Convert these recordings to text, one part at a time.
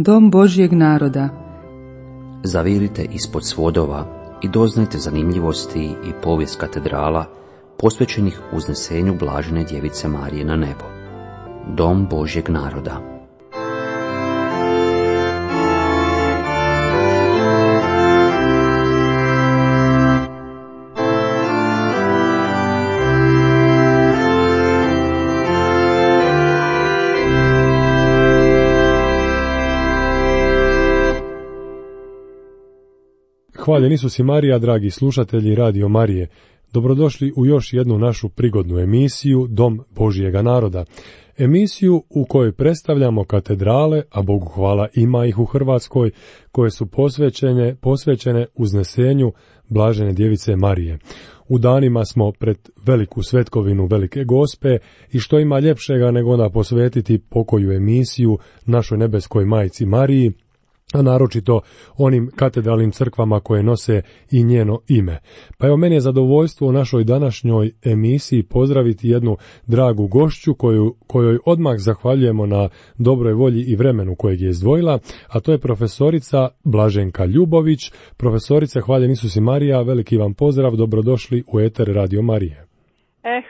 Dom Božjeg naroda. Zavirite ispod svodova i doznajte zanimljivosti i povijest katedrala posvećenih uznesenju Blažene Djevice Marije na nebo. Dom Božjeg naroda. Hvaljen Isus i Marija, dragi slušatelji Radio Marije. Dobrodošli u još jednu našu prigodnu emisiju Dom Božjega naroda. Emisiju u kojoj predstavljamo katedrale, a Bogu hvala ima ih u Hrvatskoj, koje su posvećene uznesenju Blažene Djevice Marije. U danima smo pred veliku svetkovinu Velike Gospe i što ima ljepšega nego onda posvetiti pokoju emisiju našoj nebeskoj majci Mariji, a naročito onim katedralnim crkvama koje nose i njeno ime. Pa evo, meni je zadovoljstvo u našoj današnjoj emisiji pozdraviti jednu dragu gošću kojoj odmah zahvaljujemo na dobroj volji i vremenu kojeg je izdvojila, a to je profesorica Blaženka Ljubović. Profesorice, hvaljen Isus i Marija, veliki vam pozdrav, dobrodošli u eter Radio Marije.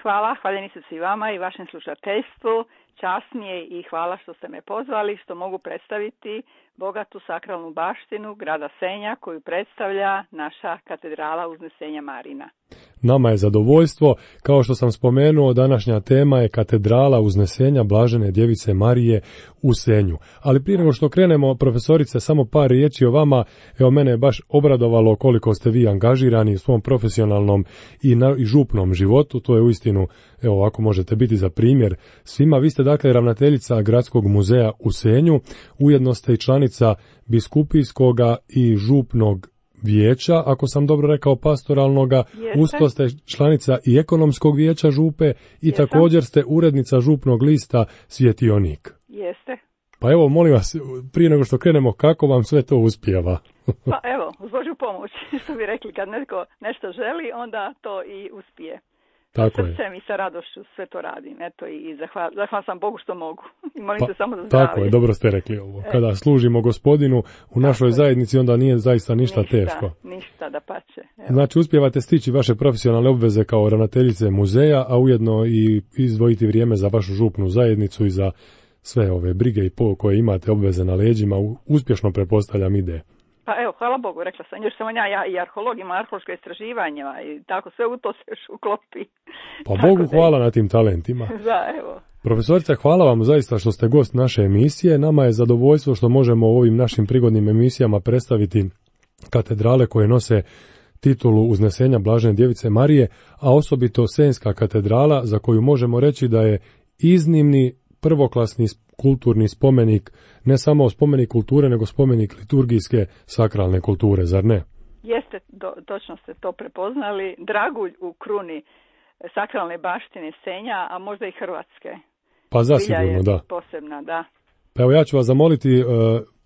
Hvala, hvaljen Isus i vama i vašem slušateljstvu. Čast mi je i hvala što ste me pozvali, što mogu predstaviti bogatu sakralnu baštinu grada Senja koju predstavlja naša katedrala Uznesenja Marina. Nama je zadovoljstvo. Kao što sam spomenuo, današnja tema je katedrala Uznesenja Blažene Djevice Marije u Senju. Ali prije nego što krenemo, profesorice, samo par riječi o vama. Evo, mene je baš obradovalo koliko ste vi angažirani u svom profesionalnom i župnom životu. To je uistinu, evo, ovako možete biti za primjer svima. Vi ste dakle ravnateljica Gradskog muzeja u Senju, ujedno ste i članica biskupijskoga i župnog vijeća, ako sam dobro rekao, pastoralnoga. Usto ste članica i ekonomskog vijeća župe i također ste urednica župnog lista Svjetionik. Jeste. Pa evo, molim vas, prije nego što krenemo, kako vam sve to uspijeva? Pa evo, uz Božju pomoć, što bi rekli, kad netko nešto želi, onda to i uspije. Tako je. Srcem i sa radošću sve to radim. Eto, i zahvala sam Bogu što mogu. I molim se samo za zdravlje. Tako je, dobro ste rekli ovo. Kada služimo Gospodinu u našoj zajednici, onda nije zaista ništa teško. Ništa, dapače. Znači, uspijevate stići vaše profesionalne obveze kao ravnateljice muzeja, a ujedno i izdvojiti vrijeme za vašu župnu zajednicu i za sve ove brige i koje imate obveze na leđima. Uspješno pretpostavljam ide. Pa evo, hvala Bogu, rekla sam, još sam ja i arheolog, ima arheološko istraživanje i tako, sve u to se još uklopi. Pa Bogu hvala na tim talentima. Da, evo. Profesorice, hvala vam zaista što ste gost naše emisije. Nama je zadovoljstvo što možemo u ovim našim prigodnim emisijama predstaviti katedrale koje nose titulu Uznesenja Blažene Djevice Marije, a osobito Senjska katedrala, za koju možemo reći da je iznimni prvoklasni kulturni spomenik, ne samo spomenik kulture, nego spomenik liturgijske sakralne kulture, zar ne? Jeste, točno ste to prepoznali. Dragulj u kruni sakralne baštine Senja, a možda i Hrvatske. Pa zasigurno, da. Posebna, da. Pa evo, ja ću vas zamoliti,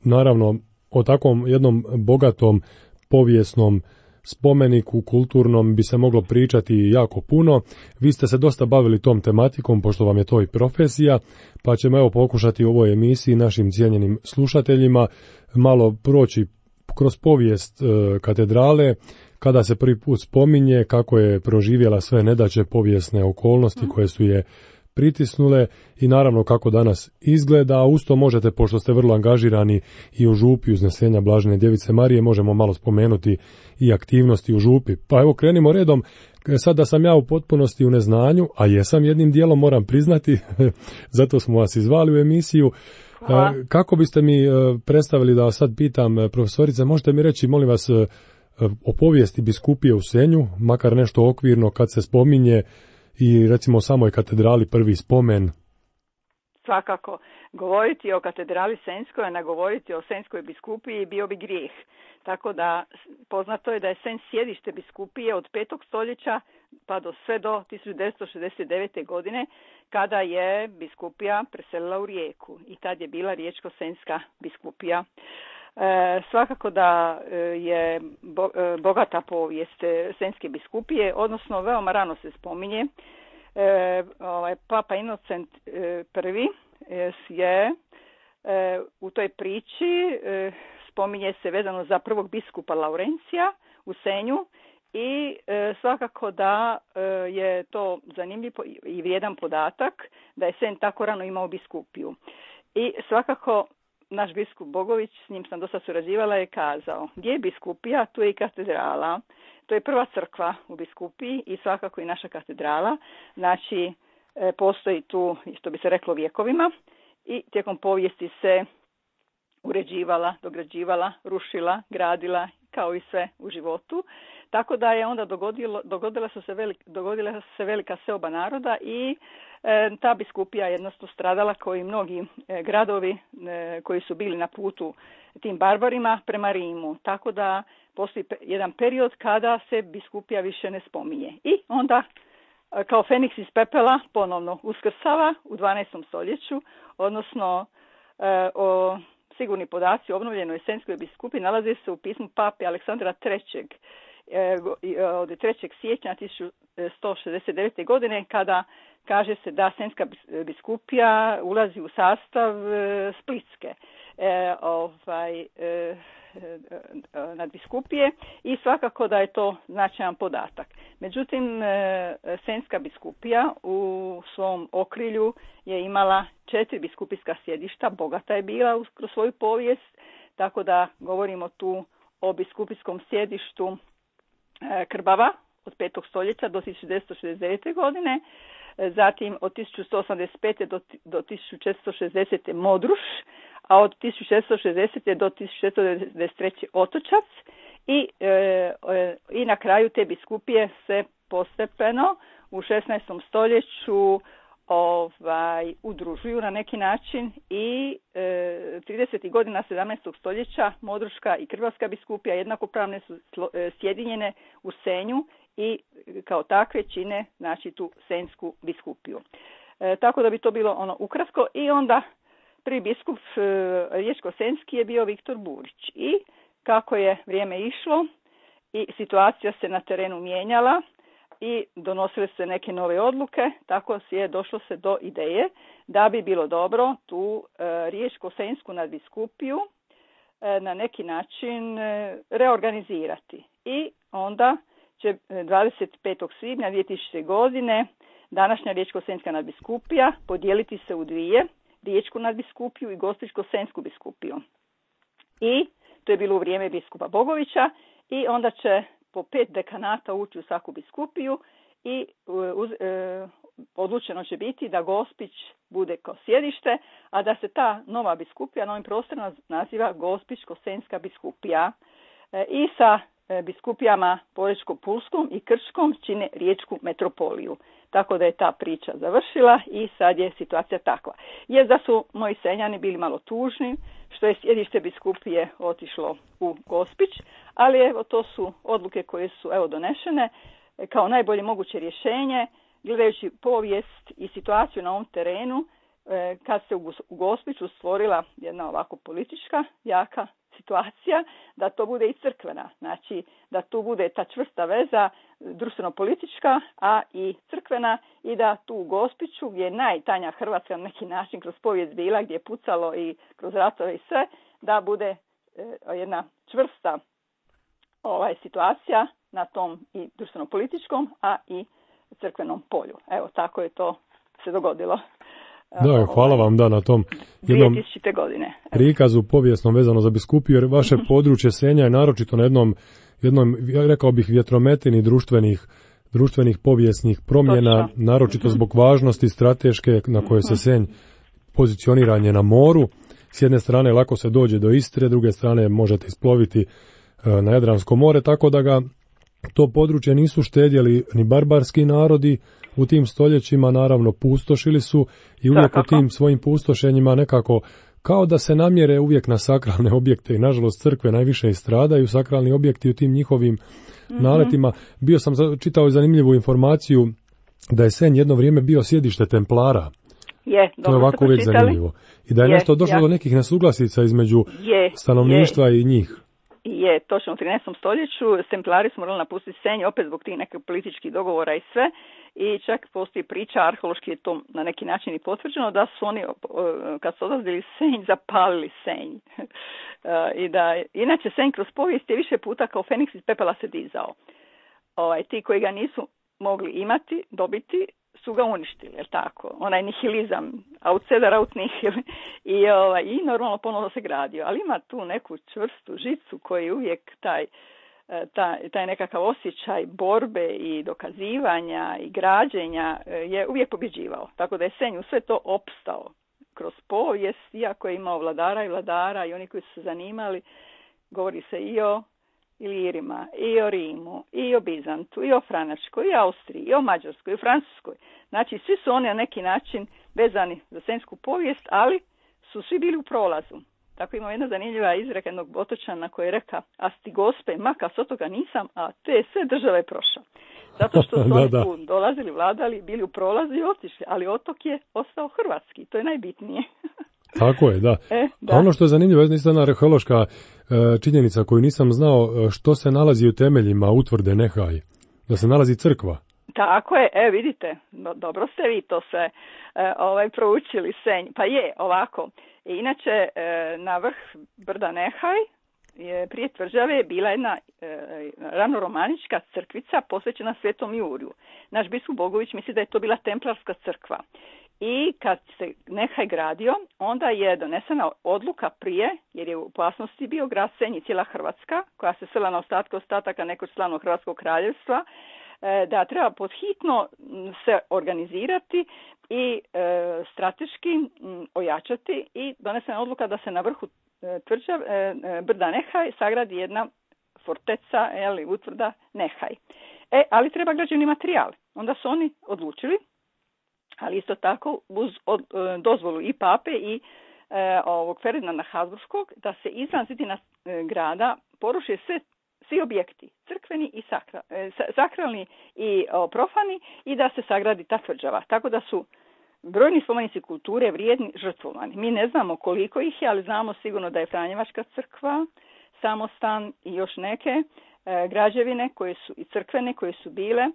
naravno, o takvom jednom bogatom povijesnom spomeniku kulturnom bi se moglo pričati jako puno. Vi ste se dosta bavili tom tematikom, pošto vam je to i profesija, pa ćemo evo pokušati u ovoj emisiji našim cijenjenim slušateljima malo proći kroz povijest katedrale, kada se prvi put spominje, kako je proživjela sve nedaće, povijesne okolnosti koje su je pritisnule i naravno kako danas izgleda, a usto možete, pošto ste vrlo angažirani i u župi Uznesenja Blažene Djevice Marije, možemo malo spomenuti i aktivnosti u župi. Pa evo, krenimo redom. Sad da sam ja u potpunosti u neznanju, a jesam jednim dijelom, moram priznati, zato smo vas izvali u emisiju. Kako biste mi predstavili, da vas sad pitam, profesorice, možete mi reći, molim vas, o povijesti biskupije u Senju, makar nešto okvirno kad se spominje, i recimo o samoj katedrali prvi spomen? Svakako, govoriti o katedrali Senjskoj, a ne govoriti o Senjskoj biskupiji bio bi grijeh. Tako da poznato je da je Senj sjedište biskupije od 5. stoljeća pa sve do 1969. godine, kada je biskupija preselila u Rijeku i tad je bila Riječko-senjska biskupija. Svakako da je bogata povijest Senjske biskupije, odnosno veoma rano se spominje. Papa Inocent I je u toj priči spominje se vezano za prvog biskupa Laurencija u Senju i svakako da je to zanimljiv i vrijedan podatak da je Senj tako rano imao biskupiju. I svakako naš biskup Bogović, s njim sam dosta surađivala, je kazao gdje je biskupija, tu je i katedrala. To je prva crkva u biskupiji i svakako i naša katedrala. Znači, postoji tu, što bi se reklo, vjekovima i tijekom povijesti se uređivala, dograđivala, rušila, gradila, kao i sve u životu. Tako da je onda dogodila se velika seoba naroda i ta biskupija jednostavno stradala kao i mnogi gradovi koji su bili na putu tim barbarima prema Rimu. Tako da postoji jedan period kada se biskupija više ne spominje. I onda kao Feniks iz pepela ponovno uskrsava u 12. stoljeću, odnosno sigurni podaci o obnovljenoj Senjskoj biskupiji nalaze se u pismu pape Aleksandra III. Od 3. siječnja 1169. godine, kada kaže se da Senjska biskupija ulazi u sastav Splitske nadbiskupije i svakako da je to značajan podatak. Međutim, Senjska biskupija u svom okrilju je imala 4 biskupijska sjedišta, bogata je bila kroz svoju povijest, tako da govorimo tu o biskupijskom sjedištu Krbava od 5. stoljeća do 1969. godine, zatim od 1185. do 1460. Modruš, a od 1660. do 1693. Otočac i na kraju te biskupije se postepeno u 16. stoljeću udružuju na neki način i 30. godina 17. stoljeća Modruška i Krbavska biskupija jednakopravne su sjedinjene u Senju i kao takve čine, znači, tu Senjsku biskupiju. Tako da bi to bilo ukratko. I onda prvi biskup riječko-senjski je bio Viktor Burić. I kako je vrijeme išlo i situacija se na terenu mijenjala i donosile se neke nove odluke, tako je došlo se do ideje da bi bilo dobro tu riječko-senjsku nadbiskupiju na neki način reorganizirati. I onda će 25. svibnja 2000. godine današnja riječko-senjska nadbiskupija podijeliti se u dvije, riječku nadbiskupiju i gospićko-senjsku biskupiju. I to je bilo u vrijeme biskupa Bogovića i onda će po 5 dekanata ući u svaku biskupiju i odlučeno će biti da Gospić bude kao sjedište, a da se ta nova biskupija na ovim prostorima naziva Gospićko-senjska biskupija i sa biskupijama Požeško-pulskom i Krčkom čine riječku metropoliju. Tako da je ta priča završila i sad je situacija takva. Jer da su moji Senjani bili malo tužni što je sjedište biskupije otišlo u Gospić, ali evo to su odluke koje su donešene kao najbolje moguće rješenje, gledajući povijest i situaciju na ovom terenu, kad se u Gospiću stvorila jedna ovako politička jaka situacija, da to bude i crkvena, znači da tu bude ta čvrsta veza društveno-politička, a i crkvena, i da tu u Gospiću, gdje je najtanja Hrvatska na neki način kroz povijest bila, gdje je pucalo i kroz ratove i sve, da bude jedna čvrsta situacija na tom i društveno-političkom, a i crkvenom polju. Evo, tako je to se dogodilo. Da, hvala vam na tom jednom 2000. godine. Prikazu povijesnom vezano za biskupiju, jer vaše područje Senja je naročito na jednom, ja rekao bih, vjetrometini društvenih povijesnih promjena, naročito zbog važnosti strateške na kojoj se Senj pozicioniranje na moru. S jedne strane lako se dođe do Istre, s druge strane možete isploviti na Jadransko more, tako da ga to područje nisu štedjeli ni barbarski narodi u tim stoljećima, naravno pustošili su i uvijek u tim svojim pustošenjima nekako kao da se namjere uvijek na sakralne objekte i nažalost crkve najviše i stradaju, sakralni objekti u tim njihovim naletima. Bio sam čitao zanimljivu informaciju da je Senj jedno vrijeme bio sjedište Templara. To je ovako uvijek zanimljivo. I da je nešto došlo do nekih nesuglasica između stanovništva i njih. Je, točno u 13. stoljeću Templari su morali napustiti Senj opet zbog tih nekih političkih dogovora i sve, i čak postoji priča, arheološki je to na neki način i potvrđeno, da su oni kad su odlazili Senj, zapalili Senj. I da, inače Senj kroz povijest je više puta kao Feniks iz pepela se dizao. Ti koji ga nisu mogli imati, dobiti, su ga uništili, je tako? Onaj nihilizam, outsider out nihil. I normalno ponovno se gradio. Ali ima tu neku čvrstu žicu koji uvijek taj nekakav osjećaj borbe i dokazivanja i građenja je uvijek pobjeđivao. Tako da je Senj u sve to opstao kroz povijest, iako je imao vladara i oni koji su se zanimali, govori se i o Ilirima, i o Rimu, i o Bizantu, i o Franačkoj, i o Austriji, i o Mađarskoj, i o Francuskoj. Znači, svi su oni na neki način vezani za senjsku povijest, ali su svi bili u prolazu. Tako ima jedna zanimljiva izreka jednog otočana koji je reka, a sti gospe, maka s otoga nisam, a te sve države prošao. Zato što su oni tu dolazili, vladali, bili u prolazu i otišli, ali otok je ostao hrvatski, to je najbitnije. Tako je, da. Da. A ono što je zanimljivo, je jedna arheološka činjenica koju nisam znao, što se nalazi u temeljima utvrde Nehaj, da se nalazi crkva. Tako je, vidite, dobro ste vi to sve proučili, Senj. Pa je, ovako. Inače, na vrh brda Nehaj, prije tvrđave, bila jedna ranoromanička crkvica posvećena Svetom Juriju. Naš biskup Bogović misli da je to bila templarska crkva. I kad se Nehaj gradio, onda je donesena odluka prije, jer je u opasnosti bio grad Senj i cijela Hrvatska, koja se sela na ostataka nekog slavnog Hrvatskog kraljevstva, da treba podhitno se organizirati i strateški ojačati, i donesena odluka da se na vrhu brda Nehaj sagradi jedna forteca, utvrda Nehaj. Ali treba građevni materijal. Onda su oni odlučili, ali isto tako uz dozvolu i pape i ovog Ferdinanda Habsburškog, da se izvan zidina grada poruše svi objekti, crkveni i sakralni i profani, i da se sagradi ta tvrđava. Tako da su brojni spomenici kulture vrijedni žrtvovani. Mi ne znamo koliko ih je, ali znamo sigurno da je Franjevačka crkva, Samostan i još neke građevine koje su i crkvene koje su bile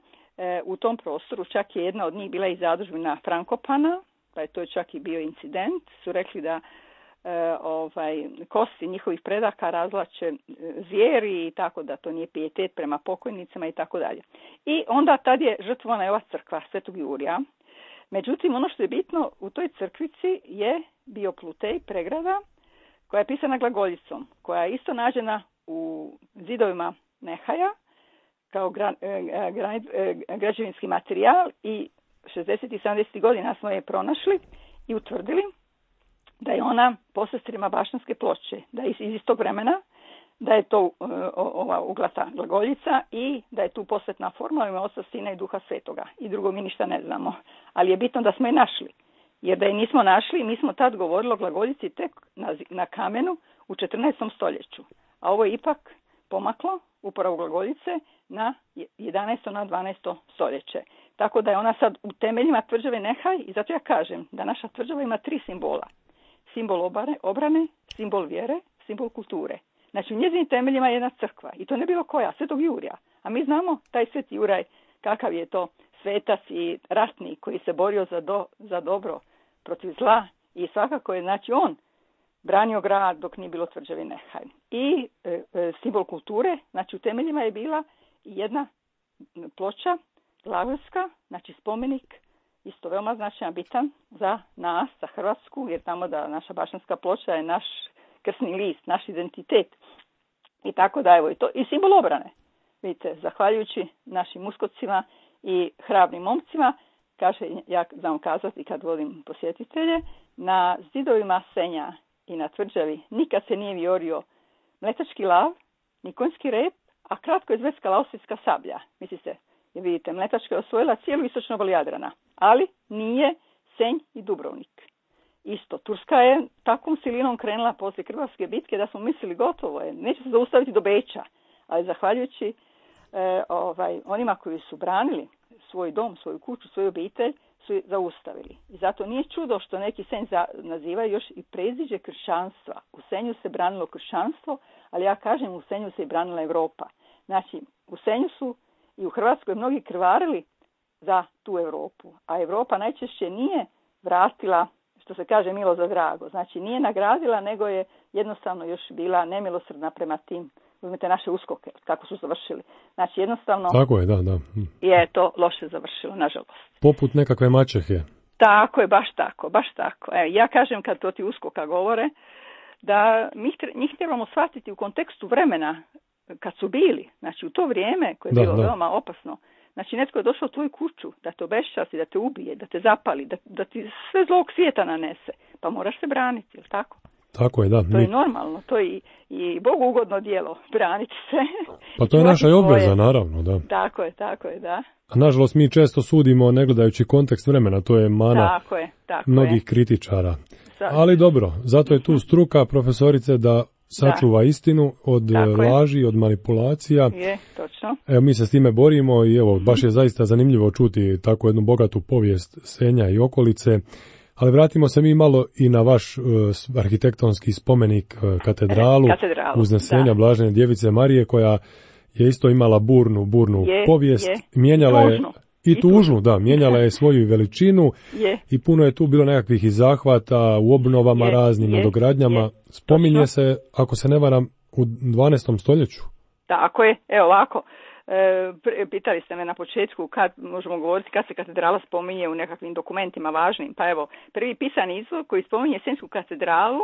u tom prostoru. Čak je jedna od njih bila i zadužbina Frankopana, pa je to čak i bio incident. Su rekli da kosti njihovih predaka razvlače zvijeri, i tako da to nije pijetet prema pokojnicama i tako dalje. I onda tad je žrtvovana ova crkva Svetog Jurija. Međutim, ono što je bitno, u toj crkvici je bio plutej, pregrada, koja je pisana glagoljicom, koja je isto nađena u zidovima Nehaja kao građevinski materijal, i 60. i 70. godina smo je pronašli i utvrdili da je ona po sestrima Bašćanske ploče, da je iz istog vremena, da je to ova uglata glagoljica i da je tu posvetna forma ime Oca, Sina i Duha Svetoga. I drugo mi ništa ne znamo. Ali je bitno da smo je našli. Jer da je nismo našli, mi smo tad govorili o glagoljici tek na kamenu u 14. stoljeću. A ovo je ipak pomaklo uporabu glagoljice na 11. na 12. stoljeće. Tako da je ona sad u temeljima tvrđave Nehaj, i zato ja kažem da naša tvrđava ima 3 simbola. Simbol obrane, simbol vjere, simbol kulture. Znači, u njezinim temeljima je jedna crkva, i to ne bilo koja, Svetog Jurija. A mi znamo taj Sveti Juraj, kakav je to svetac i ratnik koji se borio za dobro protiv zla, i svakako je, znači, on branio grad dok nije bilo tvrđave Nehaj. I simbol kulture, znači u temeljima je bila jedna ploča glagolska, znači spomenik, isto veoma značajan, bitan za nas, za Hrvatsku, jer tamo da naša Bašćanska ploča je naš krsni list, naš identitet. I tako da, evo, i to i simbol obrane. Vidite, zahvaljujući našim uskocima i hrabrim momcima, kaže, ja znam kazati kad vodim posjetitelje, na zidovima Senja i na tvrđavi nikad se nije viorio mletački lav, ni konjski rep, a kratko je zveckala austrijska sablja. Mislite, jer vidite, mletačka je osvojila cijelu istočnu obalu Jadrana, ali nije Senj i Dubrovnik. Isto, Turska je takvom silinom krenula poslije Krvavske bitke da smo mislili gotovo je, neće se zaustaviti do Beča, ali zahvaljujući onima koji su branili svoj dom, svoju kuću, svoju obitelj, su zaustavili. I zato nije čudo što neki Senj nazivaju još i predziđe kršćanstva. U Senju se branilo kršćanstvo, ali ja kažem, u Senju se i branila Europa. Znači, u Senju su i u Hrvatskoj mnogi krvarili za tu Europu. A Europa najčešće nije vratila, što se kaže, milo za drago. Znači nije nagradila, nego je jednostavno još bila nemilosrdna prema tim, uzmite naše uskoke, kako su završili. Znači jednostavno tako je, da. Je to loše završilo, nažalost. Poput nekakve maćehe. Tako je, baš tako. Ja kažem kad to ti uskoka govore, da njih trebamo shvatiti u kontekstu vremena kad su bili. Znači u to vrijeme koje je bilo veoma opasno. Znači netko je došao u tvoju kuću da te obeščasti, da te ubije, da te zapali, da ti sve zlog svijeta nanese. Pa moraš se braniti, jel tako? Tako je, da. To je normalno, to je i Bogu ugodno djelo, braniti se. Pa to je naša obveza, naravno, da. Tako je, da. A nažalost mi često sudimo ne gledajući kontekst vremena, to je mana mnogih kritičara. Ali dobro, zato je tu struka profesorice da sačuva istinu od laži, od manipulacija. Je, točno. Evo, mi se s time borimo i evo, baš je zaista zanimljivo čuti takvu jednu bogatu povijest Senja i okolice. Ali vratimo se mi malo i na vaš arhitektonski spomenik katedralu Uznesenja Blažene Djevice Marije, koja je isto imala burnu povijest. Mijenjala je i tužnu, mijenjala je svoju veličinu i puno je tu bilo nekakvih i zahvata u obnovama raznim, nadogradnjama. Spominje se, ako se ne varam, u 12. stoljeću. Tako je, evo ovako. Pitali ste me na početku kad možemo govoriti kad se katedrala spominje u nekakvim dokumentima važnim. Pa evo, prvi pisani izvor koji spominje Senjsku katedralu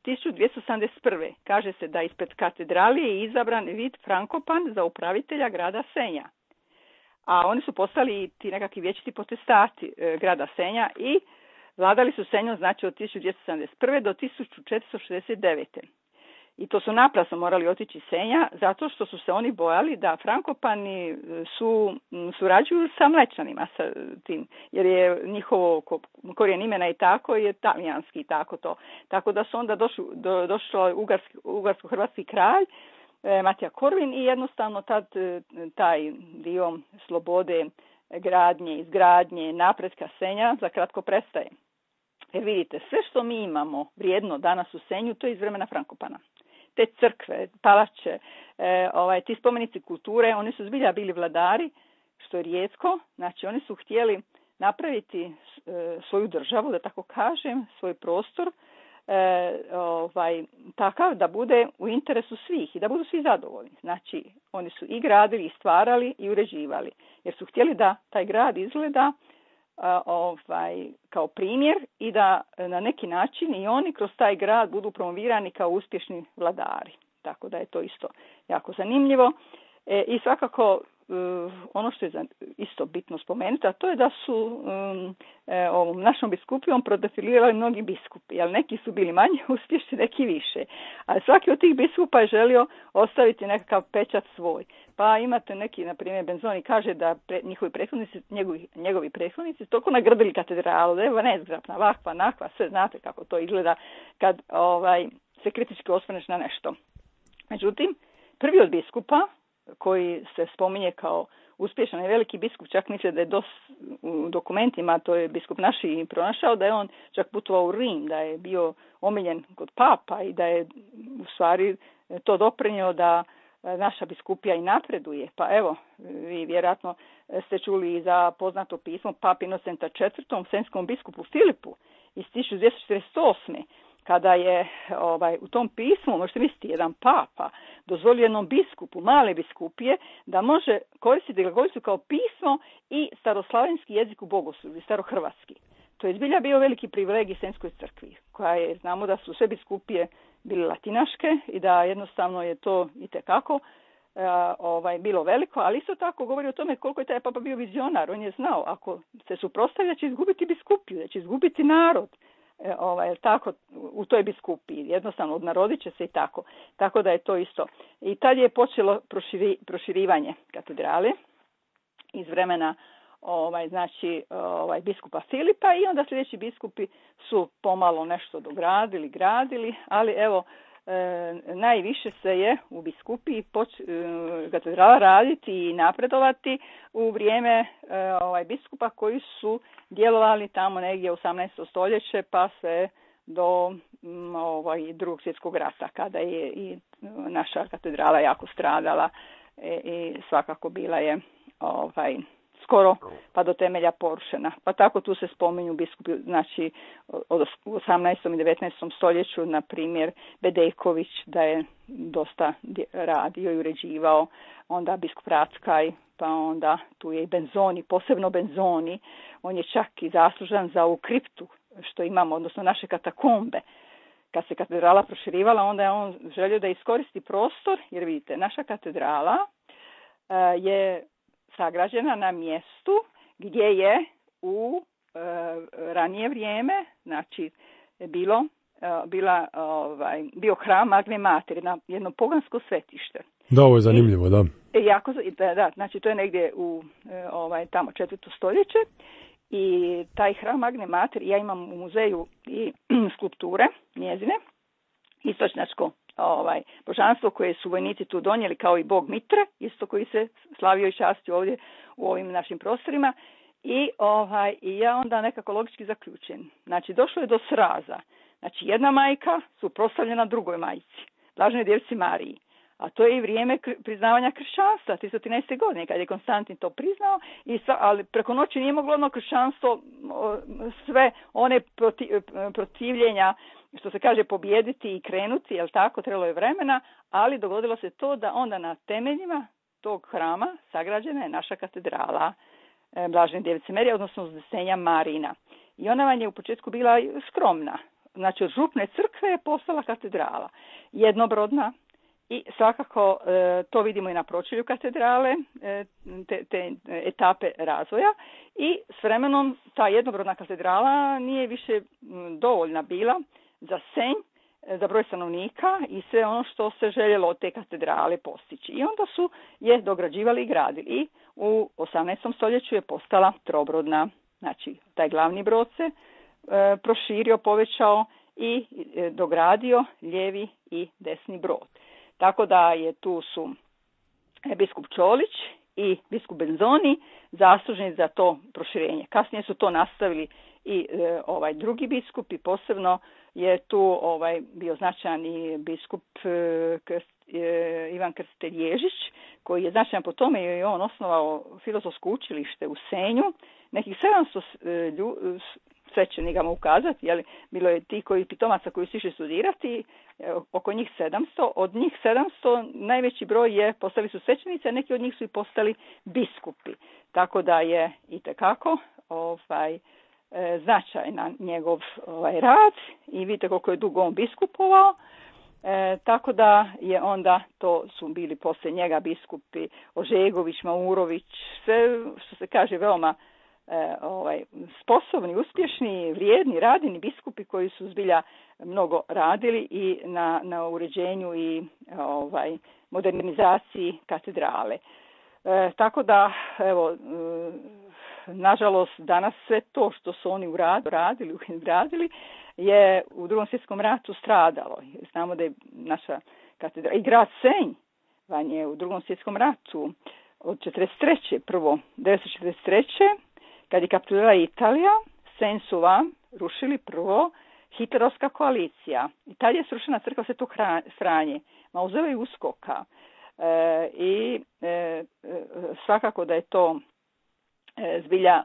1271. Kaže se da ispred katedrale je izabran Vid Frankopan za upravitelja grada Senja. A oni su postali ti nekakvi vječiti potestati grada Senja i vladali su Senjom znači od 1271. do 1469. I to su naprasno morali otići Senja zato što su se oni bojali da Frankopani surađuju sa Mlečanima, sa tim, jer je njihovo korijen imena i tako je talijanski i tako to. Tako da su onda došao ugarsko-hrvatski kralj Matija Korvin i jednostavno taj dio slobode gradnje, izgradnje, napretka Senja za kratko prestaje. Jer vidite, sve što mi imamo vrijedno danas u Senju, to je iz vremena Frankopana. Te crkve, palače, ti spomenici kulture, oni su zbilja bili vladari, što je rijetko. Znači oni su htjeli napraviti svoju državu, da tako kažem, svoj prostor, takav da bude u interesu svih i da budu svi zadovoljni. Znači oni su i gradili, i stvarali, i uređivali. Jer su htjeli da taj grad izgleda kao primjer i da na neki način i oni kroz taj grad budu promovirani kao uspješni vladari. Tako da je to isto jako zanimljivo. I svakako ono što je isto bitno spomenuti, a to je da su ovom našom biskupijom prodefilirali mnogi biskupi, ali neki su bili manje uspješni, neki više. Ali svaki od tih biskupa je želio ostaviti nekakav pečat svoj. Pa imate neki, na primjer, Benzoni kaže da njegovi prethodnici toliko nagrdili katedralu, da je nezgrapna, ovakva, nakva, sve znate kako to izgleda kad se kritički osvrneš na nešto. Međutim, prvi od biskupa koji se spominje kao uspješan i veliki biskup, čak misle da je u dokumentima, to je biskup naši pronašao, da je on čak putovao u Rim, da je bio omiljen kod papa i da je u stvari to doprinio da naša biskupija i napreduje. Pa evo, vi vjerojatno ste čuli i za poznato pismo Papi Inocenta IV, senjskom biskupu Filipu iz 1248. Kada je u tom pismu, možete misliti, jedan papa dozvolio jednom biskupu, male biskupije, da može koristiti glagoljicu kao pismo i staroslavenski jezik u bogoslužbi, starohrvatski. To je zbilja bio veliki privilegij Senjskoj crkvi, koja je, znamo da su sve biskupije bile latinaške i da jednostavno je to itekako bilo veliko, ali isto tako govori o tome koliko je taj papa bio vizionar. On je znao, ako se suprotstavi, da će izgubiti biskupiju, da će izgubiti narod. Tako u toj biskupiji, jednostavno odnarodit će se i tako. Tako da je to isto. I tad je počelo proširivanje katedrale iz vremena biskupa Filipa i onda sljedeći biskupi su pomalo nešto gradili, ali evo najviše se je u biskupiji katedrala raditi i napredovati u vrijeme biskupa koji su djelovali tamo negdje u 18. stoljeće pa sve do Drugog svjetskog rata, kada je i naša katedrala jako stradala i svakako bila je skoro pa do temelja porušena. Pa tako tu se spominju biskupi, znači u 18. i 19. stoljeću, na primjer Bedeković, da je dosta radio i uređivao, onda biskup Rackaj, pa onda tu je i Benzoni, posebno Benzoni, on je čak i zaslužan za ovu kriptu što imamo, odnosno naše katakombe. Kad se katedrala proširivala, onda je on želio da iskoristi prostor, jer vidite, naša katedrala je sagrađena na mjestu gdje je u ranije vrijeme, znači bio hram Magne Mater, jedno pogansko svetište. Da, ovo je zanimljivo, da. Da, znači to je negdje u tamo 4. stoljeće. I taj hram Magne Mater, ja imam u muzeju i skulpture njezine, istočnjačko božanstvo koje su vojnici tu donijeli, kao i bog Mitre, isto koji se slavio i častio ovdje u ovim našim prostorima. I ja onda nekako logički zaključujem. Znači, došlo je do sraza. Znači, jedna majka suprotstavljena drugoj majci, Blaženoj Djevici Mariji. A to je i vrijeme priznavanja kršćanstva, 313. godine, kad je Konstantin to priznao, ali preko noći nije moglo ono kršćanstvo sve one protivljenja, što se kaže, pobijediti i krenuti, jel tako, trebalo je vremena, ali dogodilo se to da onda na temeljima tog hrama sagrađena je naša katedrala Blažene Djevice Marije, odnosno Uznesenja Marina. I ona vam je u početku bila skromna. Znači, od župne crkve je postala katedrala. Jednobrodna. I svakako to vidimo i na pročelju katedrale, te etape razvoja. I s vremenom ta jednobrodna katedrala nije više dovoljna bila za Senj, za broj stanovnika i sve ono što se željelo od te katedrale postići. I onda su je dograđivali i gradili. I u 18. stoljeću je postala trobrodna. Znači, taj glavni brod se proširio, povećao i dogradio lijevi i desni brod. Tako da je tu su biskup Čolić i biskup Benzoni zaslužni za to proširenje. Kasnije su to nastavili i drugi biskup i posebno je tu bio značajan i biskup Ivan Krstitelj Ježić, koji je značajan po tome jer je on osnovao filozofsko učilište u Senju. Nekih 700 svećenika mu ukazati, ali bilo je ti pitomaca koji su išli studirati, oko njih 700. Od njih 700 najveći broj je postali su svećenici, a neki od njih su i postali biskupi. Tako da je itekako značajan njegov rad i vidite koliko je dugo on biskupovao. Tako da je onda, to su bili poslije njega biskupi Ožegović, Maurović, sve što se kaže veoma sposobni, uspješni, vrijedni, radini biskupi koji su zbilja mnogo radili i na uređenju i modernizaciji katedrale. Tako da, evo, nažalost, danas sve to što su oni radili je u Drugom svjetskom ratu stradalo. Znamo da je naša katedrala i grad Senj van je u Drugom svjetskom ratu od 1943. Kad je kapitulirala Italija, Senj su vam rušili prvo hitlerovska koalicija. I tad je srušena crkva Svetog Franje, mauzolej Uskoka. I svakako da je to zbilja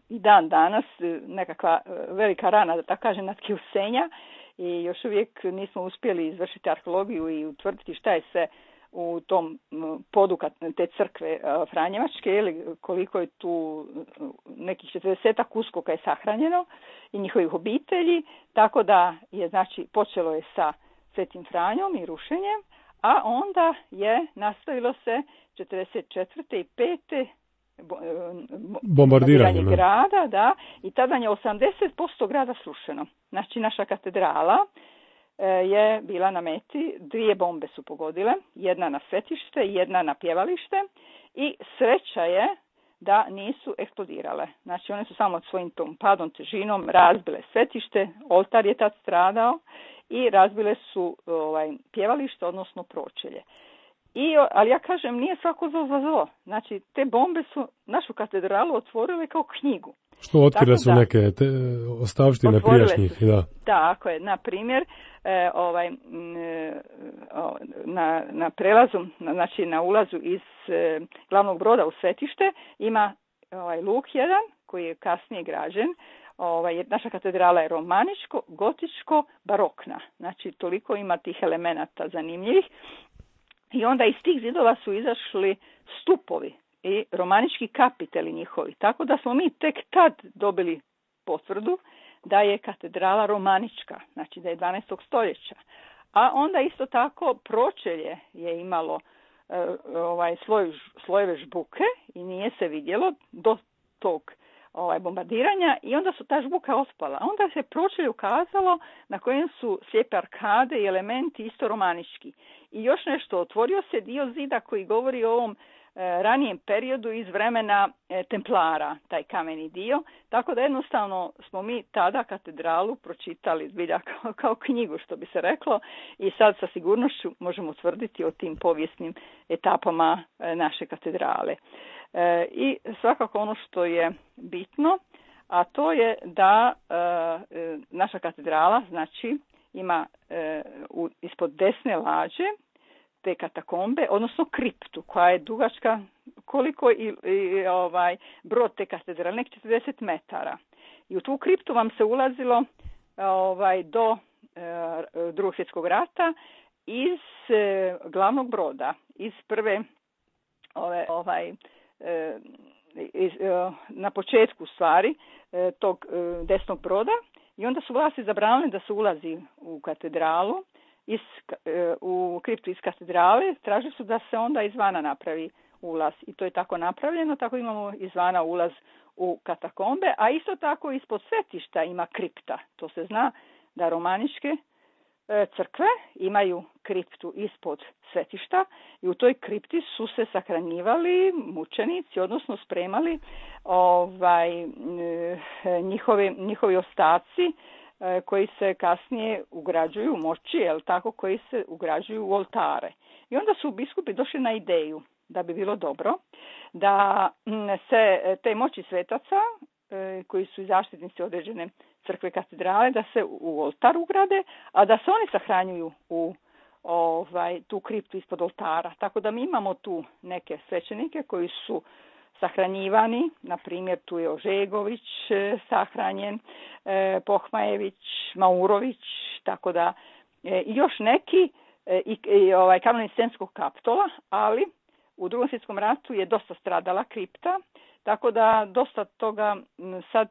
i dan danas nekakva velika rana, da tako kažem, na tkivu Senja. I još uvijek nismo uspjeli izvršiti arheologiju i utvrditi šta je sve u tom podu te crkve Franjevačke, ili koliko je tu nekih 40 uskoka je sahranjeno i njihovih obitelji, tako da je, znači, počelo je sa Svetim Franjom i rušenjem, a onda je nastavilo se 44. i 5. bombardiranje grada, da, i tada je 80% grada srušeno. Znači, naša katedrala je bila na meti, 2 bombe su pogodile, jedna na svetište, jedna na pjevalište i sreća je da nisu eksplodirale. Znači, one su samo svojim tom padom, težinom razbile svetište, oltar je tad stradao i razbile su pjevalište, odnosno pročelje. Ali ja kažem, nije svako zlo za zlo. Znači, te bombe su našu katedralu otvorile kao knjigu. Što otkrile su neke ostavštine prijašnjih. Da. Tako je, na primjer, na prelazu, znači na ulazu iz glavnog broda u svetište ima luk jedan koji je kasnije građen. Naša katedrala je romaničko, gotičko, barokna. Znači toliko ima tih elemenata zanimljivih. I onda iz tih zidova su izašli stupovi i romanički kapiteli njihovi. Tako da smo mi tek tad dobili potvrdu da je katedrala romanička, znači da je 12. stoljeća. A onda isto tako pročelje je imalo slojeve žbuke i nije se vidjelo do tog bombardiranja i onda su ta žbuka ospala. Onda se pročelje ukazalo na kojem su slijepe arkade i elementi isto romanički. I još nešto, otvorio se dio zida koji govori o ovom ranijem periodu iz vremena Templara, taj kameni dio, tako da jednostavno smo mi tada katedralu pročitali zbilja kao knjigu, što bi se reklo, i sad sa sigurnošću možemo tvrditi o tim povijesnim etapama naše katedrale. I svakako ono što je bitno, a to je da naša katedrala znači ima ispod desne lađe te katakombe, odnosno kriptu koja je dugačka koliko i brod te katedrale, nek 40 metara. I u tu kriptu vam se ulazilo do Drugog svjetskog rata iz glavnog broda, iz prve na početku stvari tog desnog broda, i onda su vlasti zabranili da se ulazi u katedralu, u kriptu iz katedrale, tražili su da se onda izvana napravi ulaz i to je tako napravljeno, tako imamo izvana ulaz u katakombe, a isto tako ispod svetišta ima kripta. To se zna da romaničke crkve imaju kriptu ispod svetišta i u toj kripti su se sahranjivali mučenici, odnosno spremali njihovi ostaci koji se kasnije ugrađuju u moči, koji se ugrađuju u oltare. I onda su biskupi došli na ideju da bi bilo dobro da se te moći svetaca, koji su i zaštitnici određene crkve katedrale, da se u oltar ugrade, a da se oni sahranjuju u tu kriptu ispod oltara. Tako da mi imamo tu neke svećenike koji su sahranjivani, na primjer tu je Ožegović sahranjen, Pohmajević, Maurović, tako da još neki kanonik Senskog kapitola, ali u Drugom svjetskom ratu je dosta stradala kripta, tako da dosta toga sad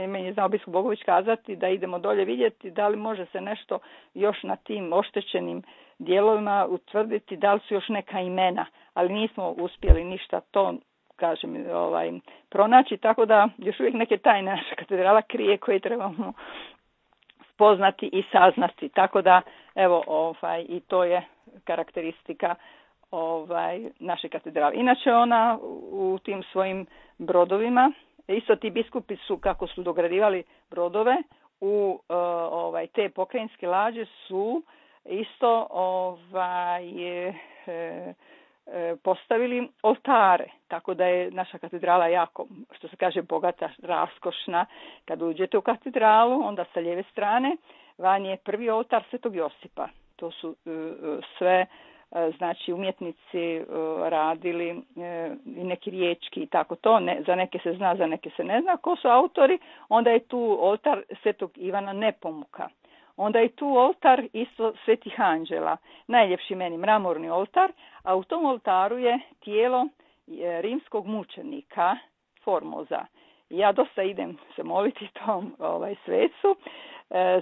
meni je znao biskup Bogović kazati da idemo dolje vidjeti da li može se nešto još na tim oštećenim dijelovima utvrditi, da li su još neka imena, ali nismo uspjeli ništa to pronaći, tako da još uvijek neke tajne naša katedrala krije koje trebamo spoznati i saznati, tako da evo i to je karakteristika naše katedrale. Inače ona u tim svojim brodovima, isto ti biskupi su kako su dogradivali brodove u te pokrajinske lađe su isto postavili oltare, tako da je naša katedrala jako, što se kaže, bogata, raskošna. Kad uđete u katedralu, onda sa lijeve strane van je prvi oltar Svetog Josipa. To su sve znači umjetnici radili i neki riječki i tako to, za neke se zna, za neke se ne zna ko su autori. Onda je tu oltar Svetog Ivana Nepomuka. Onda je tu oltar isto Svetih anđela, najljepši meni mramorni oltar, a u tom oltaru je tijelo rimskog mučenika Formoza. Ja dosta idem se moliti tom svecu,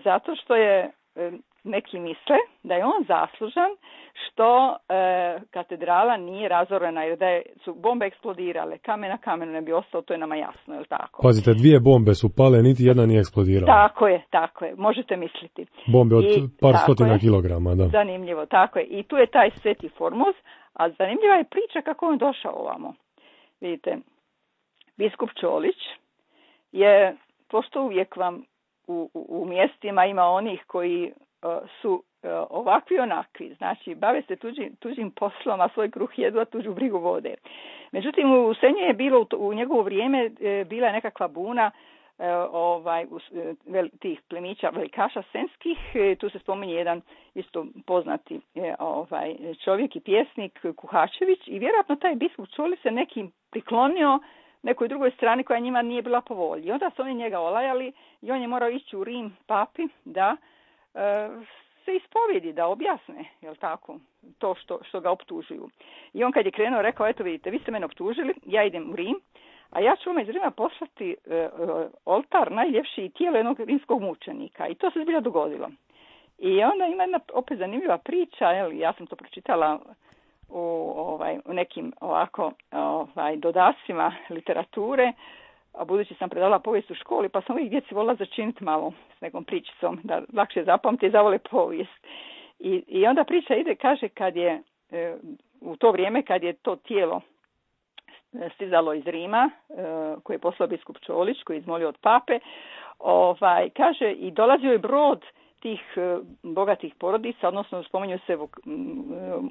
zato što je neki misle da je on zaslužan što katedrala nije razorena, jer da su bombe eksplodirale, kamen na kamenu ne bi ostao, to je nama jasno, je li tako? Pazite, 2 bombe su pale, niti jedna nije eksplodirala. Tako je, možete misliti. Bombe od par stotina kilograma, da. Zanimljivo, tako je. I tu je taj Sveti Formoz, a zanimljiva je priča kako on došao ovamo. Vidite, biskup Čolić je, pošto uvijek vam u mjestima ima onih koji su ovakvi onakvi, znači bave se tuđim poslom, a svoj kruh jedu, a tuđu brigu vode. Međutim, u Senju je bilo u njegovo vrijeme bila nekakva buna tih plemića velikaša senskih. Tu se spominje jedan isto poznati čovjek i pjesnik Kuhačević i vjerojatno taj biskup Čoli se nekim priklonio nekoj drugoj strani koja njima nije bila po volji. Onda su oni njega olajali i on je morao ići u Rim papi da se ispovjedi, da objasne, jel tako, to što ga optužuju. I on kad je krenuo rekao, eto vidite, vi ste mene optužili, ja idem u Rim, a ja ću vam iz Rima poslati oltar najljepši i tijelo jednog rimskog mučenika. I to se zbilja dogodilo. I onda ima jedna opet zanimljiva priča, ja sam to pročitala u nekim ovako dodacima literature, a budući sam predavala povijest u školi, pa sam uvijek djeci volila začiniti malo s nekom pričicom, da lakše zapamti i zavole povijest. I onda priča ide, kaže, kad je u to vrijeme kad je to tijelo stizalo iz Rima, koje je poslao biskup Čolić, koji je izmolio od pape, kaže, i dolazio je brod tih bogatih porodica, odnosno spominju se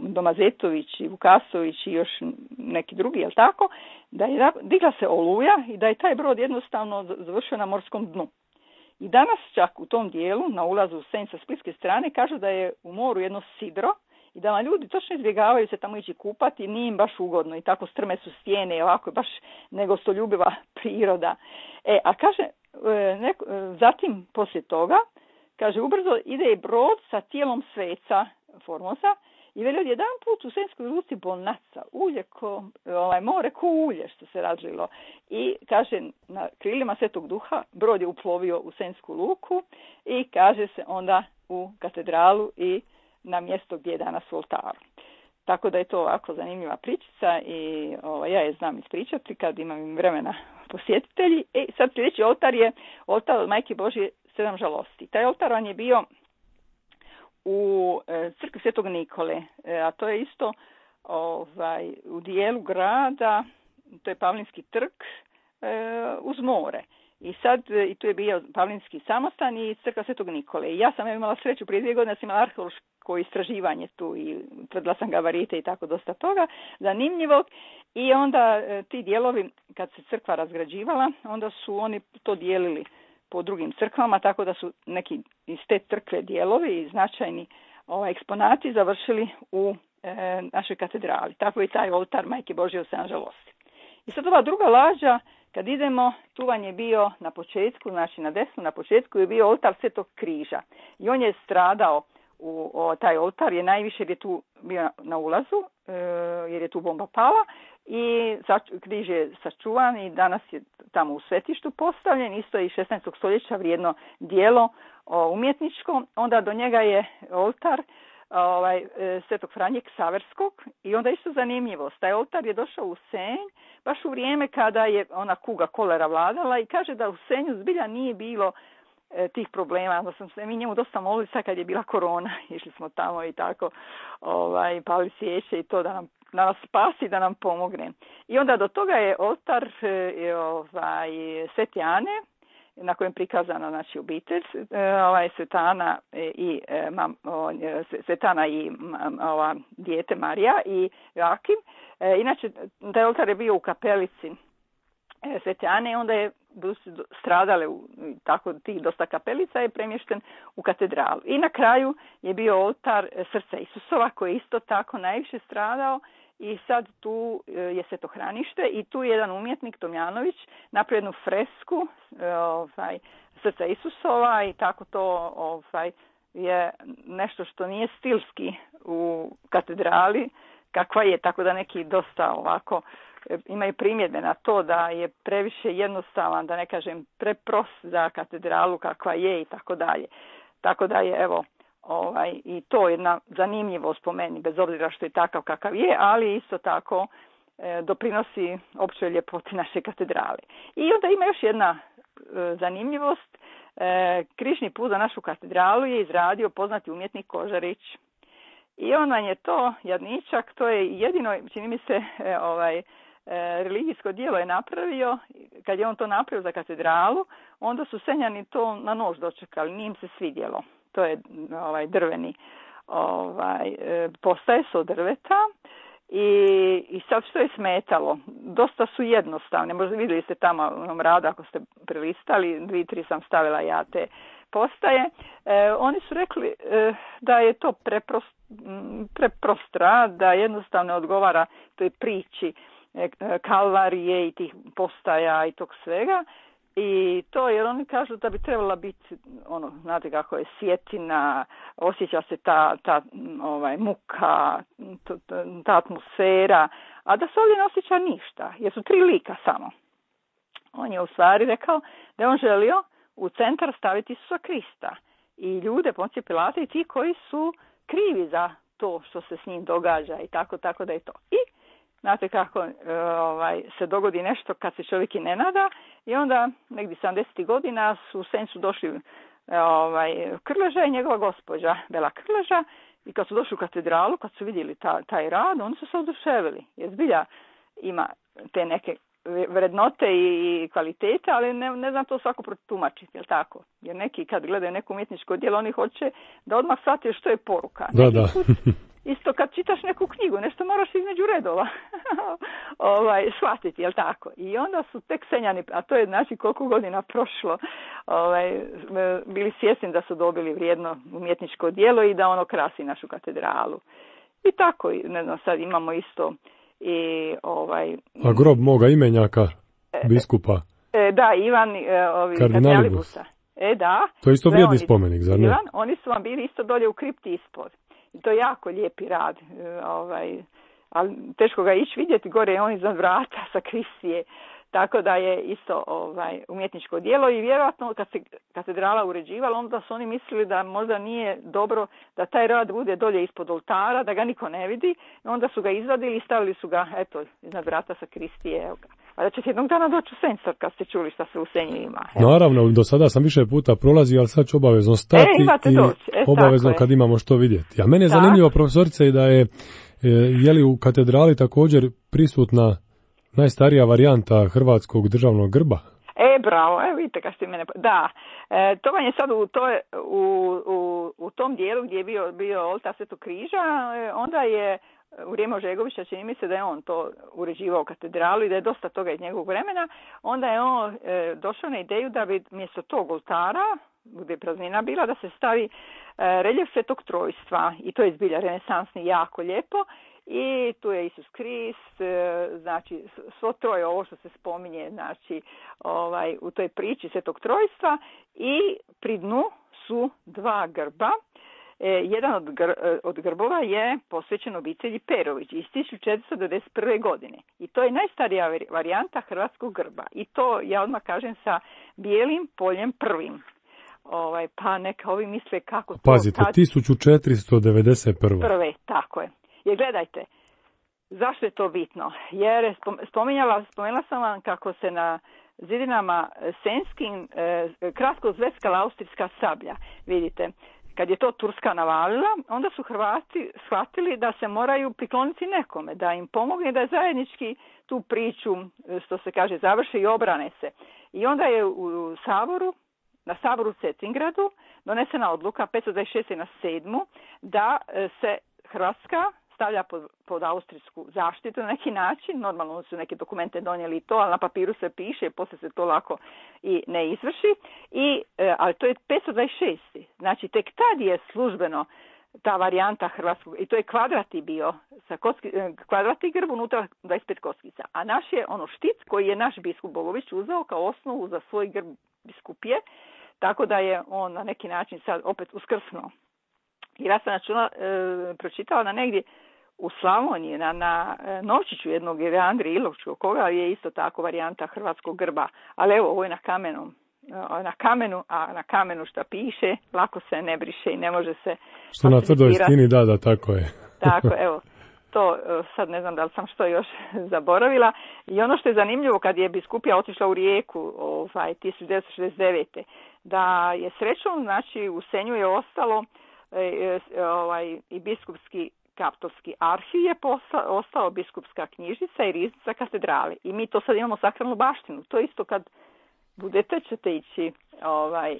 Domazetović i Vukasović i još neki drugi, jel tako, da je digla se oluja i da je taj brod jednostavno završio na morskom dnu. I danas čak u tom dijelu, na ulazu u Senj sa splitske strane, kažu da je u moru jedno sidro i da vam ljudi točno izbjegavaju se tamo ići kupati i nije im baš ugodno i tako strme su stijene i ovako je baš negostoljubiva priroda. A kaže, zatim poslije toga, kaže, ubrzo ide i brod sa tijelom sveca Formosa i veli od jedan put u Senjskoj luci bonaca, ulje more ko ulje što se razlilo. I kaže, na krilima Svetog Duha brod je uplovio u Senjsku luku i kaže se onda u katedralu i na mjesto gdje je danas u oltaru. Tako da je to ovako zanimljiva pričica i ja je znam ispričati kad imam vremena posjetitelji. Sad sljedeći oltar je oltar od Majke Božje 7 žalosti. Taj oltar on je bio u crkvi Svetog Nikole, a to je isto u dijelu grada, to je Pavlinski trg uz more. I sad i tu je bio Pavlinski samostan i crkva Svetog Nikole. I ja sam imala sreću prije 2 godine, da sam imala arheološko istraživanje tu i tvrdila sam gabarite i tako dosta toga zanimljivog. I onda ti dijelovi, kad se crkva razgrađivala, onda su oni to dijelili po drugim crkvama, tako da su neki iz te crkve dijelovi i značajni eksponati završili u našoj katedrali. Tako je taj oltar Majke Božje u 7 žalosti. I sad ova druga lađa, kad idemo, tu vam je bio na početku, znači na desnu na početku je bio oltar Svetog križa. I on je stradao, taj oltar je najviše jer je tu bio na ulazu, jer je tu bomba pala i križ je sačuvan i danas je tamo u svetištu postavljen, isto je i 16. stoljeća vrijedno dijelo umjetničko. Onda do njega je oltar Svetog Franje Ksaverskog i onda isto zanimljivost. Taj oltar je došao u Senj baš u vrijeme kada je ona kuga kolera vladala i kaže da u Senju zbilja nije bilo tih problema. Onda sam se mi njemu dosta molili sad kad je bila korona. Išli smo tamo i tako pali svijeće i to da nas spasi, da nam pomogne. I onda do toga je oltar Svete Ane, na kojem je prikazana znači obitelj Svetana i Svetana i dijete Marija i Joakim. Inače taj oltar je bio u kapelici Svete Ane i onda je stradale tako tih dosta kapelica je premješten u katedralu. I na kraju je bio oltar Srca Isusova koji je isto tako najviše stradao. I sad tu je svetohranište i tu je jedan umjetnik Tomjanović napravio jednu fresku Srca Isusova i tako to je nešto što nije stilski u katedrali kakva je, tako da neki dosta ovako imaju primjedbe na to da je previše jednostavan, da ne kažem preprost za katedralu kakva je i tako dalje. Tako da je evo i to je jedna zanimljivost po meni, bez obzira što je takav kakav je, ali isto tako doprinosi općoj ljepoti naše katedrale. I onda ima još jedna zanimljivost. Križni put za našu katedralu je izradio poznati umjetnik Kožarić. I on je to, jadničak, to je jedino, čini mi se, religijsko djelo je napravio. Kad je on to napravio za katedralu, onda su Senjani to na nož dočekali, nije im se svidjelo. To je drveni postaje su od drveta I sad što je smetalo? Dosta su jednostavne. Možda vidjeli ste tamo u onom radu ako ste prelistali, 2-3 sam stavila ja te postaje. Oni su rekli da je to preprostra, da jednostavno odgovara toj priči Kalvarije i tih postaja i tog svega. I to jer oni kažu da bi trebala biti, znate kako je, sjetina, osjeća se ta muka, ta atmosfera, a da se ovdje ne osjeća ništa, jer su 3 lika samo. On je u stvari rekao da je on želio u centar staviti Isusa Krista i ljude, Poncije Pilate i ti koji su krivi za to što se s njim događa i tako da je to. I znate kako se dogodi nešto kad se čovjek i ne nada i onda negdje 70. godina su u Senjcu došli Krleža i njegova gospođa Bela Krleža i kad su došli u katedralu, kad su vidjeli taj rad, oni su se oduševili. Jer zbilja ima te neke vrednote i kvalitete, ali ne znam to svako protumačiti, jel tako? Jer neki kad gledaju neko umjetničko djelo, oni hoće da odmah shvate što je poruka. Da. Isto kad čitaš neku knjigu, nešto moraš između redova shvatiti, jel tako? I onda su tek Senjani, a to je znači koliko godina prošlo, bili svjesni da su dobili vrijedno umjetničko djelo i da ono krasi našu katedralu. I tako, ne znam, sad imamo isto i A grob moga imenjaka, biskupa? Da, Ivan Kardinalibusa. Da. To je isto vrijedni spomenik, zar ne? Oni su vam bili isto dolje u kripti ispod. I to je jako lijepi rad. Ali teško ga ići vidjeti, gore je on iznad vrata sa Kristije. Tako da je isto umjetničko djelo i vjerojatno kad se katedrala uređivala, onda su oni mislili da možda nije dobro da taj rad bude dolje ispod oltara, da ga niko ne vidi. I onda su ga izvadili i stavili su ga, iznad vrata sa Kristije. Evo ga. A da ćete jednog dana doći u Senj, kad ste čuli šta se u Senju ima. Evo. Naravno, do sada sam više puta prolazio, ali sad ću obavezno stati i obavezno kad imamo što vidjeti. A mene je zanimljivo, profesorice, da je li u katedrali također prisutna najstarija varijanta hrvatskog državnog grba? Bravo, vidite kad ste mene... Da, to vam je sad u tom dijelu gdje je bio oltar Svetog križa, onda je u vrijeme Ožegovića, čini mi se da je on to uređivao katedralu i da je dosta toga iz njegovog vremena, onda je on došao na ideju da bi mjesto tog oltara, gdje je praznina bila, da se stavi reljef Svetog Trojstva i to je zbilja renesansni, jako lijepo. I tu je Isus Krist, znači svo troje ovo što se spominje, znači u toj priči Svetog Trojstva i pri dnu su 2 grba. Jedan od grbova je posvećen obitelji Perović iz 1491. godine. I to je najstarija varijanta hrvatskog grba. I to, ja odmah kažem, sa bijelim poljem prvim. Pa neka ovi misle kako to... Pazite, 1491. Prve, tako je. Jer gledajte, zašto je to bitno? Jer spomenula sam vam kako se na zidinama senjskim kratko zveskala austrijska sablja. Vidite, kad je to Turska navalila, onda su Hrvati shvatili da se moraju prikloniti nekome, da im pomogne da zajednički tu priču, što se kaže, završe i obrane se. I onda je na Saboru u Cetingradu donesena odluka 526. na 7. da se Hrvatska stavlja pod austrijsku zaštitu na neki način. Normalno su neke dokumente donijeli to, ali na papiru se piše, poslije se to lako i ne izvrši. Ali to je 526. Znači tek tad je službeno ta varijanta hrvatskog, i to je kvadrati bio, kvadrati grb, unutra 25 kockica. A naš je štit koji je naš biskup Bogović uzeo kao osnovu za svoj grb biskupije, tako da je on na neki način sad opet uskrsnuo. Jer ja sam pročitala na negdje u Slavoniji, na Novčiću jednog Andrije Ilovčkog, koga je isto tako varijanta hrvatskog grba. Ali evo, ovo je na kamenu, a na kamenu šta piše, lako se ne briše i ne može se... Što na tvrdoj stini, da, tako je. Tako, evo, to sad ne znam da li sam što još zaboravila. I ono što je zanimljivo, kad je biskupija otišla u Rijeku 1969. da je srećom, znači u Senju je ostalo i biskupski kaptovski arhiv je ostao, biskupska knjižnica i riznica katedrale. I mi to sad imamo sakralnu baštinu. To isto kad budete, ćete ići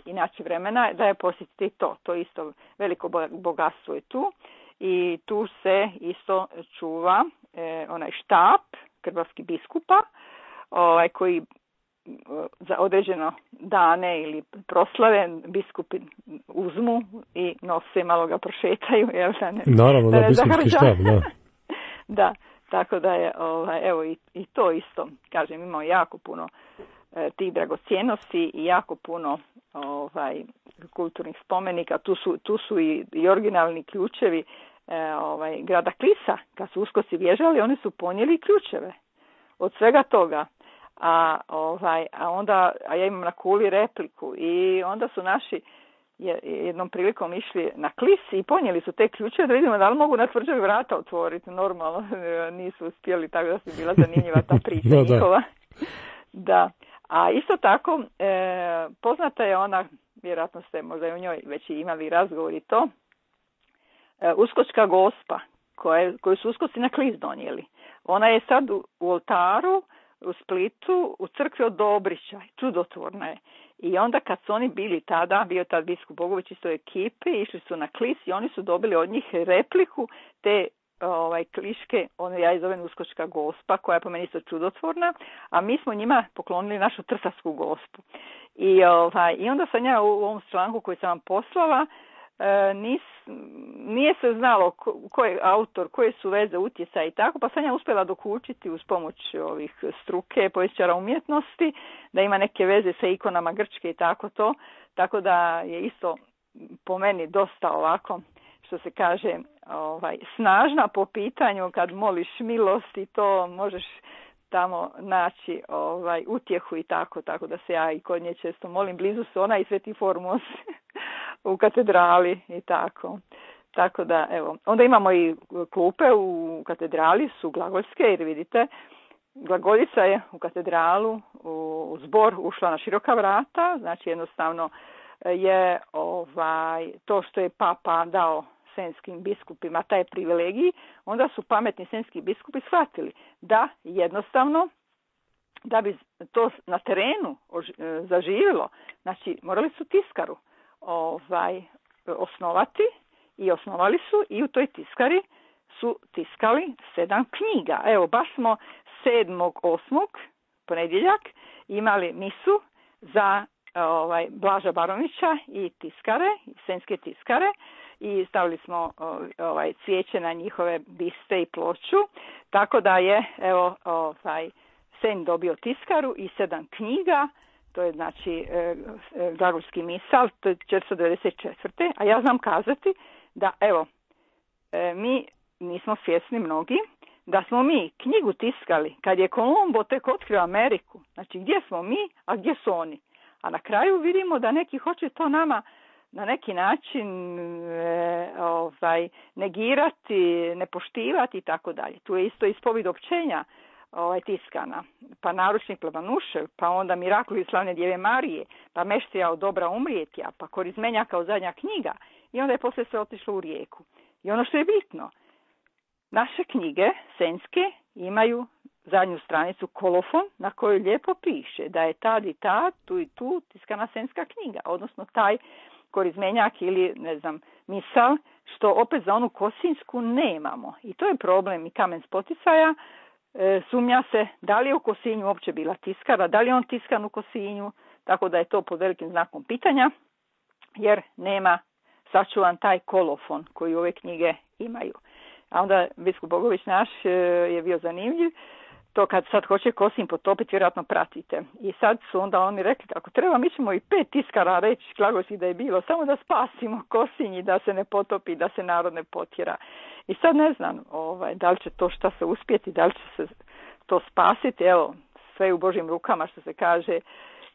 inače vremena da je posjetite to. To isto veliko bogatstvo je tu. I tu se isto čuva onaj štab krvavskih biskupa, koji za određeno dane ili proslave biskupi uzmu i nose, malo ga prošetaju. Naravno, da, biskupski štab, da. Da, tako da je, evo i to isto, kažem, imamo jako puno tih dragocjenosti i jako puno kulturnih spomenika. Tu su i originalni ključevi grada Klisa. Kad su uskoci bježali, oni su ponijeli ključeve od svega toga. A ja imam na kuli repliku i onda su naši jednom prilikom išli na Klis i ponijeli su te ključeve da vidimo da li mogu na tvrđavi vrata otvoriti. Normalno nisu uspjeli, tako da su bila zanimljiva ta priča njihova. Da. A isto tako poznata je ona, vjerojatno ste možda i u njoj već imali razgovor i to, Uskočka Gospa koju su uskoci na Klis donijeli. Ona je sad u oltaru u Splitu, u crkvi od Dobrića, čudotvorna je. I onda kad su oni bili tada, bio tad biskup Bogović isto ekipe, išli su na Klis i oni su dobili od njih repliku te kliške, ja je zovem Uskočka Gospa, koja je po meni isto čudotvorna, a mi smo njima poklonili našu Trsavsku Gospu. I onda sam ja u ovom članku koji sam vam poslala, nije se znalo ko je autor, koje su veze, utjecaje i tako, pa sam ja uspjela dokučiti uz pomoć ovih struke, povjesničara umjetnosti, da ima neke veze sa ikonama Grčke i tako to, tako da je isto po meni dosta ovako, što se kaže, snažna po pitanju kad moliš milost i to možeš tamo naći utjehu i tako da se ja i kod nje često molim, blizu su ona i Sveti Formos u katedrali i tako. Tako da, evo, onda imamo i klupe u katedrali, su glagoljske, jer vidite, glagoljica je u katedralu, u zbor ušla na široka vrata, znači jednostavno je to što je papa dao senskim biskupima taj privilegij, onda su pametni senski biskupi shvatili da jednostavno, da bi to na terenu zaživjelo, znači morali su tiskaru osnovati i osnovali su i u toj tiskari su tiskali 7 knjiga. Evo, baš smo 7.8. ponedjeljak imali misu za Blaža Barovića i tiskare, senske tiskare, i stavili smo cvijeće na njihove biste i ploču, tako da je Sen dobio tiskaru i 7 knjiga, to je znači Glagoljski misal, to je 494. A ja znam kazati da mi nismo svjesni mnogi da smo mi knjigu tiskali kad je Kolumbo tek otkrio Ameriku. Znači gdje smo mi, a gdje su oni? A na kraju vidimo da neki hoće to nama na neki način negirati, nepoštivati i tako dalje. Tu je isto ispovijed općenja tiskana, pa naručnik Plavanušev, pa onda Mirakli slavne Djeve Marije, pa Meštrija od dobra umrijetja, pa Korizmenja kao zadnja knjiga, i onda je poslije sve otišlo u rijeku. I ono što je bitno, naše knjige senske imaju zadnju stranicu kolofon na kojoj lijepo piše da je tad i tad, tu i tu tiskana senska knjiga, odnosno taj korizmenjak ili misal, što opet za onu Kosinjsku nemamo. I to je problem i Kamen Spoticaja. Sumnja se da li je u Kosinju uopće bila tiskara, da li je on tiskan u Kosinju, tako da je to pod velikim znakom pitanja, jer nema sačuvan taj kolofon koji ove knjige imaju. A onda biskup Bogović naš je bio zanimljiv, to kad sad hoće Kosinj potopiti, vjerojatno pratite. I sad su onda oni rekli, ako treba, mi ćemo i 5 tiskara reći Glagoljskih da je bilo, samo da spasimo Kosinj i da se ne potopi, da se narod ne potjera. I sad ne znam da li će to šta se uspjeti, da li će se to spasiti, evo, sve u Božjim rukama, što se kaže,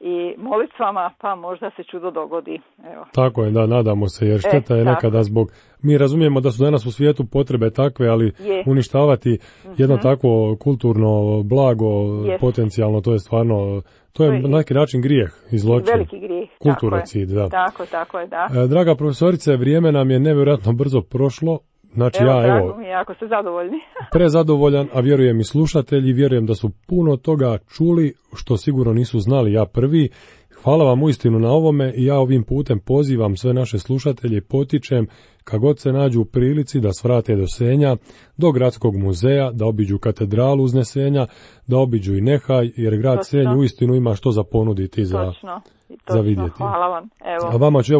i molitvama, pa možda se čudo dogodi. Evo. Tako je, da, nadamo se, jer šteta je nekada zbog, mi razumijemo da su danas u svijetu potrebe takve, ali uništavati jedno takvo kulturno blago potencijalno, to je stvarno, to je na neki način grijeh i zločin. Veliki grijeh. Kulturocid, da. Tako je, da. Draga profesorice, vrijeme nam je nevjerojatno brzo prošlo. Znači drago mi je, ako ste zadovoljni. Prezadovoljan, a vjerujem i slušatelji, vjerujem da su puno toga čuli, što sigurno nisu znali, ja prvi. Hvala vam uistinu na ovome i ja ovim putem pozivam sve naše slušatelje i potičem kad god se nađu u prilici da svrate do Senja, do Gradskog muzeja, da obiđu katedralu Uznesenja, da obiđu i Nehaj, jer grad Senj uistinu ima što za ponuditi za vidjeti. Hvala vam. Evo. A vama ću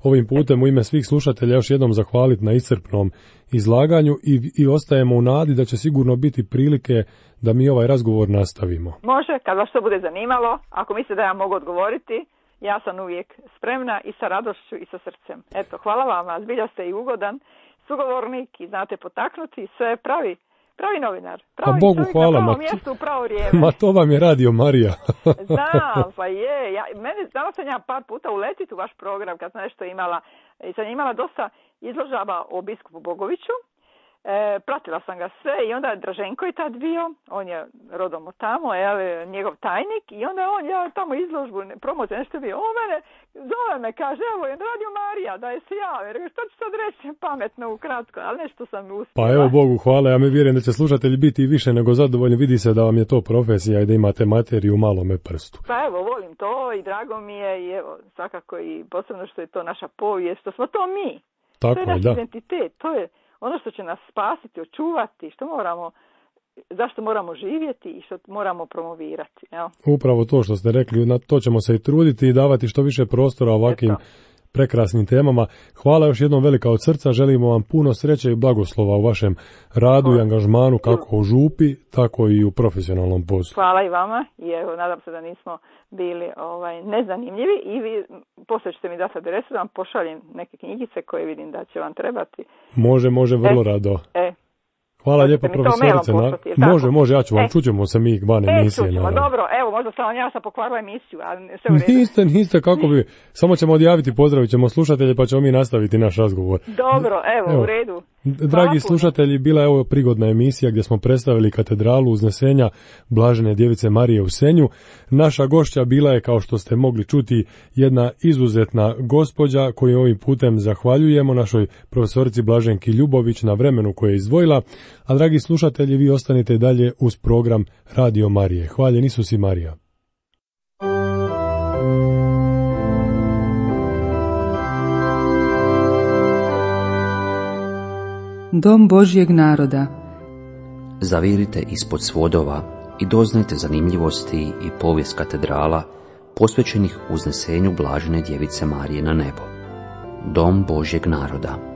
ovim putem u ime svih slušatelja još jednom zahvaliti na iscrpnom izlaganju i ostajemo u nadi da će sigurno biti prilike da mi ovaj razgovor nastavimo. Može, kad vas to bude zanimalo, ako mislite da ja mogu odgovoriti, ja sam uvijek spremna i sa radošću i sa srcem. Eto, hvala vam, zbilja ste i ugodan sugovornik i znate potaknuti, sve pravi novinar. Pravi Bogu hvala, na pravo mjestu u pravo vrijeme. Ma to vam je radio Marija. Znam, pa je. Dala sam ja par puta uletiti u vaš program kad sam nešto imala. I sam imala dosta izložaba o biskupu Bogoviću. Pratila sam ga sve i onda je Draženko je tad bio, on je rodom od tamo, njegov tajnik i onda ja tamo izložbu, promociju, nešto bio, zove me, kaže, evo je radio Marija, da je se javi, što ću sad reći pametno, ukratko, ali nešto sam uspjela. Pa evo Bogu hvala, ja mi vjerujem da će slušatelji biti više nego zadovoljni, vidi se da vam je to profesija i da imate materiju u malome prstu. Pa evo, volim to i drago mi je i evo, svakako i posebno što je to naša povijest, što smo to mi. Tako to je naš identitet, to je ono što će nas spasiti, očuvati, zašto moramo živjeti i što moramo promovirati. Jel? Upravo to što ste rekli, na to ćemo se i truditi i davati što više prostora ovakvim prekrasnim temama. Hvala još jednom velika od srca, želimo vam puno sreće i blagoslova u vašem radu i angažmanu kako u župi, tako i u profesionalnom poslu. Hvala i vama i evo, nadam se da nismo bili nezanimljivi i vi poslije ćete mi dati adresu da vam pošaljem neke knjigice koje vidim da će vam trebati. Može, vrlo rado. Hvala lijepo profesorice. Može, ja ću vam, čućemo se mi van emisije. Čućemo, dobro, evo, možda ja sam pokvarila emisiju, ali sve u redu. Niste, kako bi, samo ćemo odjaviti, pozdravit ćemo slušatelje pa ćemo mi nastaviti naš razgovor. Dobro, evo, u redu. Dragi slušatelji, bila je ovo prigodna emisija gdje smo predstavili katedralu Uznesenja Blažene djevice Marije u Senju. Naša gošća bila je, kao što ste mogli čuti, jedna izuzetna gospođa koju ovim putem zahvaljujemo našoj profesorici Blaženki Ljubović na vremenu koje je izdvojila. A dragi slušatelji, vi ostanite dalje uz program Radio Marije. Hvaljen Isus i Marija. Dom Božjeg naroda. Zavirite ispod svodova i doznajte zanimljivosti i povijest katedrala posvećenih Uznesenju Blažene djevice Marije na nebo. Dom Božjeg naroda.